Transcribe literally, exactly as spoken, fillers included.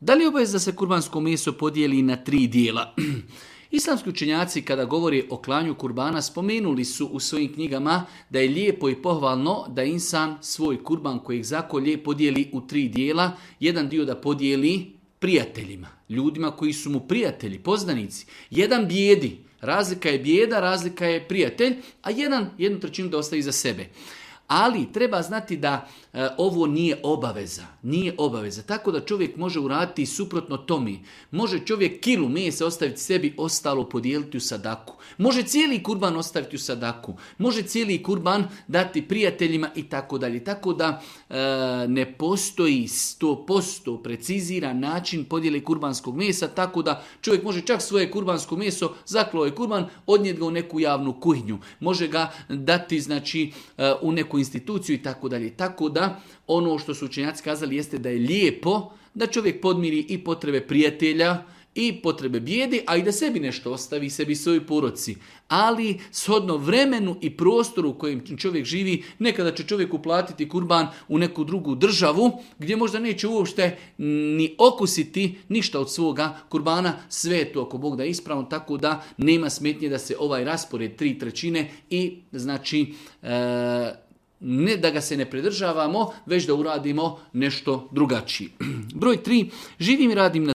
Da li je obaveza da se kurbansko meso podijeli na tri dijela? Islamski učenjaci kada govori o klanju kurbana spomenuli su u svojim knjigama da je lijepo i pohvalno da insan svoj kurban kojeg zakolje podijeli u tri dijela. Jedan dio da podijeli prijateljima, ljudima koji su mu prijatelji, poznanici. Jedan bijedi, razlika je bijeda, razlika je prijatelj, a jedan jednu trećinu da ostavi za sebe. Ali treba znati da e, ovo nije obaveza, nije obaveza. Tako da čovjek može uraditi suprotno tome. Može čovjek kilu mesa ostaviti sebi, ostalo podijeliti u sadaku. Može cijeli kurban ostaviti u sadaku. Može cijeli kurban dati prijateljima i tako dalje. Tako da e, ne postoji sto posto preciziran način podjele kurbanskog mesa, tako da čovjek može čak svoje kurbansko meso, zaklao je kurban, odnijeti ga u neku javnu kuhinju. Može ga dati znači e, u neku instituciju i tako dalje. Tako da ono što su učenjaci kazali jeste da je lijepo da čovjek podmiri i potrebe prijatelja i potrebe bijedi, a i da sebi nešto ostavi, sebi svojoj porodci. Ali shodno vremenu i prostoru u kojem čovjek živi, nekada će čovjek uplatiti kurban u neku drugu državu gdje možda neće uopšte ni okusiti ništa od svoga kurbana, sve je to ako Bog da je ispravno, tako da nema smetnje da se ovaj raspored tri trećine i znači e, ne da ga se ne pridržavamo, već da uradimo nešto drugačije. Broj tri. Živim i radim na